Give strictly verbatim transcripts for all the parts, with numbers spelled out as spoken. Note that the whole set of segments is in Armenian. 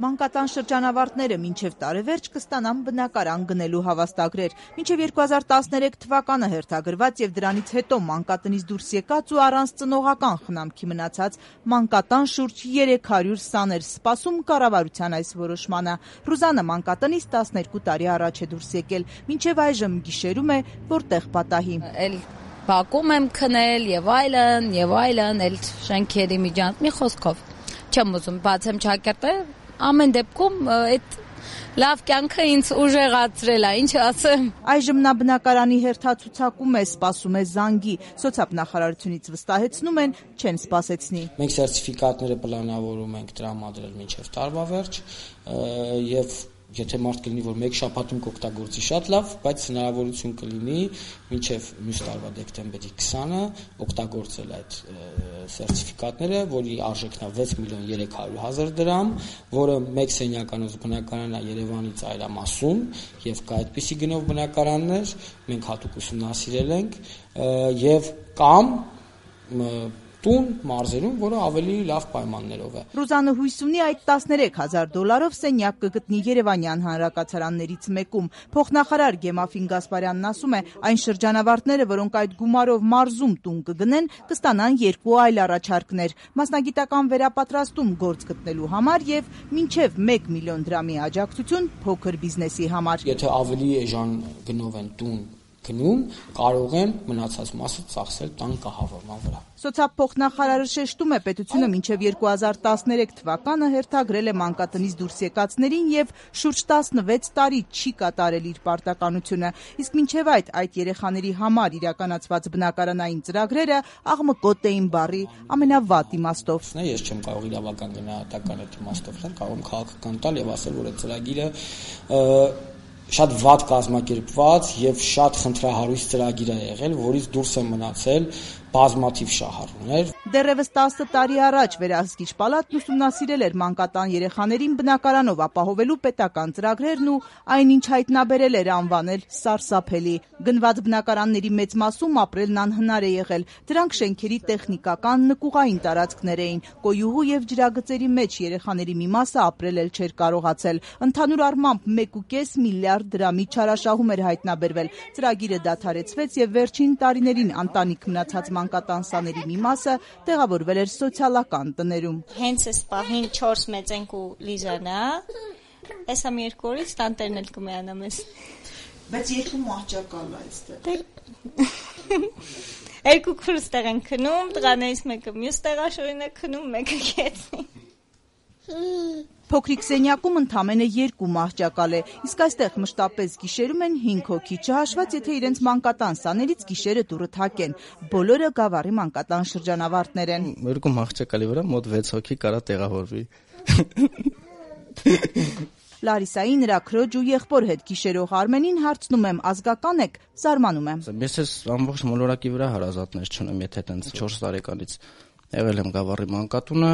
Մանկատան շրջանավարտները մինչև տարեվերջ կստանան բնակարան գնելու հավաստագրեր։ Մինչև երկու հազար տասներեք թվականը հերթագրված եւ դրանից հետո մանկատնից դուրս եկած ու առանց ծնողական խնամքի մնացած մանկատան շուրջ երեք հարյուր սաներ սպասում կառավարության այս որոշմանը։ Ռուզանը մանկատնից տասներկու տարի առաջ է դուրս եկել, մինչև այժմ գիշերում է, որտեղ պատահի։ Բակում եմ քնել եւ այլն, եւ այլն, էլ շենքերի միջանց մի խոսքով չեմ ուզում բացեմ ճակերտը, ամեն դեպքում այդ լավ կյանքը ինձ ուժեղացրել է, ինչ ասեմ։ Այժմ նա բնակարանի հերթացուցակում է, սպասում է զանգի, սոցիալնախարարությունից վստահեցնում են, չեն սպասեցնի։ Մենք սերտիֆիկատները պլանավորում ենք տրամադրել մինչև տարվա վերջ եւ եթե մարդ կլինի, որ մեկ շաբաթում կօգտագործի շատ լավ, բայց հնարավորություն կլինի մինչև մյուս տարվա դեկտեմբերի քսանը օգտագործել այդ սերտիֆիկատները, որի արժեքն է վեց միլիոն երեք հարյուր հազար դրամ, որը մեկ սենյականոց բնակարան է Երևանի ծայրամասում եւ կա այդպիսի գնով բնակարաններ, մենք հատուկ ուսումնասիրել ենք եւ կամ տուն մարզերում, որը ավելի լավ պայմաններով է։ Ռուզանը հույս ունի այդ տասներեք հազար դոլարով սենյակ կգտնի Երևանյան հանրակացարաններից մեկում։ Փոխնախարար Գեմաֆին Գասպարյանն ասում է, այն շրջանավարտները, որոնք այդ գումարով մարզում տուն կգնեն, կստանան երկու այլ առաջարկներ՝ մասնագիտական վերապատրաստում գործ գտնելու համար եւ մինչեւ մեկ միլիոն դրամի աջակցություն փոքր բիզնեսի համար։ Եթե ավելի էժան գնով են տուն գնում, կարող են մնացած մասը ծախսել տան կահավորման վրա։ Սոցիալփոխնախարարը շեշտում է, պետությունը մինչև երկու հազար տասներեք թվականը հերթագրել է մանկատնից դուրս եկածներին եւ շուրջ տասնվեց տարի չի կատարել իր պարտականությունը։ Իսկ մինչև այդ այդ երեխաների համար իրականացված բնակարանային ծրագրերը աղմկոտ էին բառի ամենավատ իմաստով։ Ես չեմ կարող իրավական գնահատական այդ իմաստով տալ, կարող եմ քաղաքական տալ եւ ասել, որ այդ ծրագիրը շատ վատ կազմակերպված եւ շատ խնդրահարույց ծրագիր է եղել, որից դուրս է մնացել բազմաթիվ շահառուներ։ Դեռևս տասը տարի առաջ Վերահսկիչ պալատն ուսումնասիրել էր մանկատան երեխաներին բնակարանով ապահովելու պետական ծրագրերն ու այնինչ հայտնաբերել էր անվանել սարսափելի։ Գնված բնակարանների մեծ մասում ապրելն անհնար է եղել։ Դրանք շենքերի տեխնիկական նկուղային տարածքներ էին։ Կոյուղու եւ ջրագծերի մեջ երեխաների մի մասը ապրել էլ չէր կարողացել։ Ընդհանուր առմամբ մեկ ու կես միլիարդ դրամի չարաշահում էր հայտնաբերվել։ Ծրագիրը դադարեցվեց եւ վերջին տարիներին ընտանիք մնացած մանկատան սաների մի մասը տեղավորվել էր սոցիալական տներում։ Հենց այս պահին չորս մեծենք ու Լիզան է, այս համ երկու օրից տանտերն էլ կմիանա մեզ։ Բայց երկու մահճակալ է այստեղ։ Երկու քուրս տեղ են քնում, տղաներից մեկը մյուս տեղաշորին է քնում, մեկը գետնի։ Փոքրիկ սենյակում ընդամենը երկու մահճակալ է, իսկ այստեղ մշտապես գիշերում են հինգ հոգի, չհաշված եթե իրենց մանկատան սաներից գիշերը դուռը թակեն։ Բոլորը Գավառի մանկատան շրջանավարտներ են։ Երկու մահճակալի վրա մոտ վեց հոգի կարա տեղավորվի։ Լարիսայի, նրա քրոջ ու եղբոր հետ գիշերող Արմենին հարցնում եմ, ազգական եք, զարմանում եմ։ Ես ես ամբողջ մոլորակի վրա հարազատներ չունեմ, եթե տենց չորս տարեկանից եղել եմ Գավառի մանկատունը,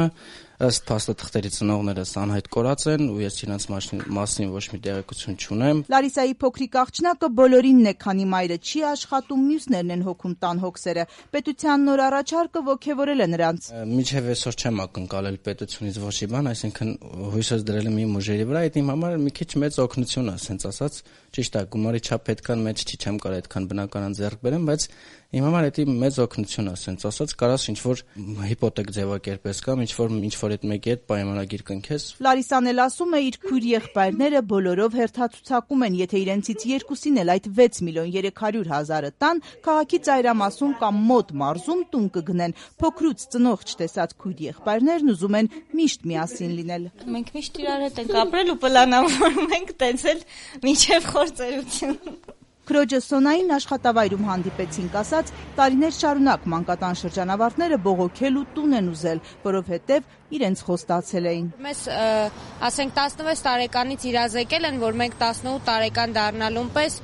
ըստ փաստաթղթերի ծնողներս անհայտ կորած են ու ես իրենց մասին ոչ մի տեղեկություն չունեմ։ Լարիսայի փոքրիկ աղջնակը բոլորինն է, քանի մայրը չի աշխատում, մյուսներն են հոգում տան հոգսերը։ Պետության նոր առաջարկը ոգևորել է նրանց։ Մինչև այսօր չեմ ակնկալել պետությունից ոչ մի բան, այսինքն հույսս դրել եմ իմ ուժերի վրա, այդ իմ համար մի քիչ մեծ օգնություն է, ասենց ասած, ճիշտ է, գումարի չափ այդքան մեծ չի, չեմ կարող այդքան բնականon ձեռք բերեմ, բայց իմ համար դա մեծ օգնություն է, ասենց ասած, կարաս ինչ որ հիպոթեկ ձևակերպես կամ ինչ որ ինչ որ այդ մեկի հետ պայմանագիր կնքես։ Լարիսան էլ ասում է, իր քույր եղբայրները բոլորով հերթացուցակում են, եթե իրենցից երկուսին էլ այդ վեց միլիոն երեք հարյուր հազարը տան, քաղաքի ծայրամասում կամ մոտ մարզում տուն կգնեն։ Փոքրուց ծնող չտեսած քույր եղբայրներն ուզում են միշտ միասին լինել։ Մենք միշտ իրար հետ ենք ապրել ու պլանավորում ենք տենցել մինչև խորձերություն։ Քրոջը Սոնային աշխատավայրում հանդիպեցինք, ասաց, տարիներ շարունակ մանկատան շրջանավարտները բողոքել ու տուն են ուզել, որովհետև իրենց խոստացել էին։ Մեզ ասենք տասնվեց տարեկանից իրազեկել են, որ մենք տասնութ տարեկան դառնալուն պես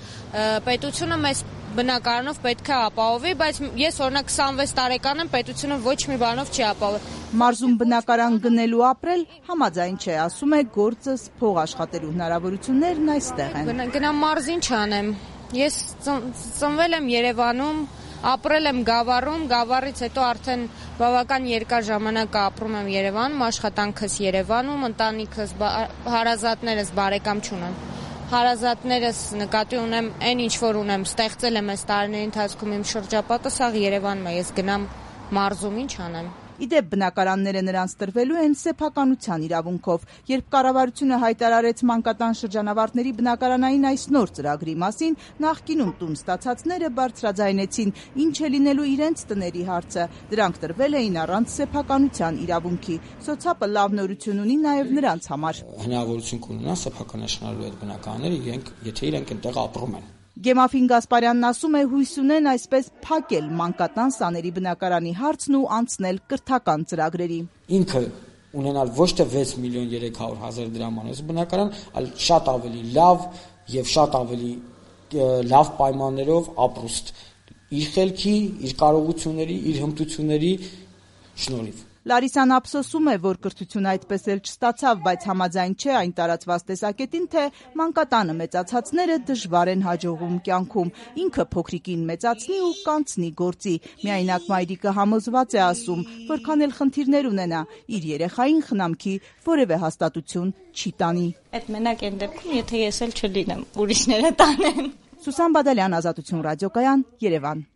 պետությունը մեզ բնակարանով պետք է ապահովի, բայց ես օրինակ քսանվեց տարեկան եմ, պետությունը ոչ մի բանով չի ապահովում։ Մարզում բնակարան գնելու ապրել համաձայն չէ, ասում է, գործս փող աշխատելու հնարավորություններն այստեղ են։ Գնամ մարզին չանեմ։ Ես ծնվել եմ Երևանում, Ապրել եմ Գավառում, Գավառից հետո արդեն բավական երկար ժամանակ ապրում եմ Երևանում, աշխատանքս Երևանում, ընտանիքս, հարազատներս բարեկամ չունեմ։ Հարազատներս նկատի ունեմ, այն ինչ որ ունեմ, ստեղծել եմ այս տարիների ընթացքում իմ շրջապատը, սա Երևանում է, ես գնամ մարզում, ինչ անեմ։ Իդեպ բնակարանները նրանց տրվելու են սեփականության իրավունքով, երբ կառավարությունը հայտարարեց մանկատան շրջանավարտների բնակարանային այս նոր ծրագրի մասին, նախկինում տուն ստացածները բարձրաձայնեցին, ինչ է լինելու իրենց տների հարցը, դրանք տրվել էին առանց սեփականության իրավունքի։ Սոցապը լավ նորություն ունի նաև նրանց համար։ Հնարավորություն կունենան սեփականացնելու այդ բնակարանները, իրենք, եթե իրենք այնտեղ ապրում են։ Գեմաֆին Գասպարյանն ասում է, հույս ունեն այսպես փակել մանկատան սաների բնակարանի հարցն ու անցնել կրթական ծրագրերի։ Ինքը ունենալ ոչ թե վեց միլիոն երեք հարյուր հազար դրամանոց բնակարան, այլ շատ ավելի լավ եւ շատ ավելի լավ պայմաններով ապրուստ իր խելքի, իր կարողությունների, իր հմտությունների շնորհիվ։ Լարիսան ափսոսում է, որ կրթությունը այդպես էլ չստացավ, բայց համաձայն չէ այն տարածված տեսակետին, թե մանկատանը մեծացածները դժվար են հաջողում կյանքում։ Ինքը փոքրիկին մեծացնի ու կանցնի գործի։ Միայնակ մայրիկը համոզված է ասում, որքան էլ խնդիրներ ունենա, իր երեխային խնամքի որևէ հաստատություն չի տանի։ Այդ մենակ այն դեպքում, եթե ես էլ չլինեմ, ուրիշները տանեն։ Սուսան Բադալյան, Ազատություն ռադիոկայան, Երևան։